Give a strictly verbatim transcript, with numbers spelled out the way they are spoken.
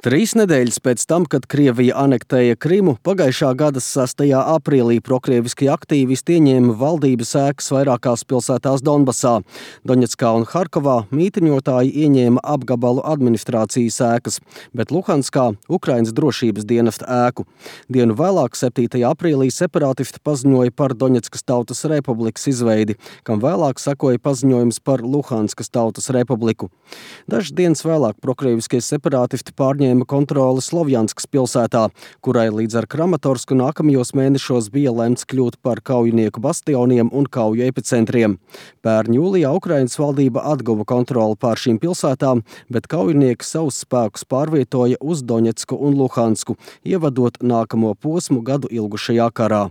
Trīs nedēļas pēc tam, kad Krievija anektēja Krimu, pagājušā gada sastajā aprīlī prokrieviski aktīvisti ieņēma valdības ēkas vairākās pilsētās Donbasā. Doņetskā un Harkovā mītiņotāji ieņēma apgabalu administrācijas ēkas, bet Luhanskā Ukrainas drošības dienesta ēku. Dienu vēlāk, septītajā aprīlī, separātisti paziņoja par Doņetskas Tautas Republikas izveidi, kam vēlāk sekoja paziņojums par Luhanskas Tautas Republiku. Dažas dienas vēlāk prokrieviskie separātisti pārņēma kontroli Slovjanskas pilsētā, kurai līdz ar Kramatorsku nākamajos mēnešos bija lemts kļūt par kaujinieku bastioniem un kauju epicentriem. Pērn jūlijā Ukrainas valdība atguva kontroli pār šīm pilsētām, bet kaujinieki savus spēkus pārvietoja uz Doņetsku un Luhansku, ievadot nākamo posmu gadu ilgušajā karā.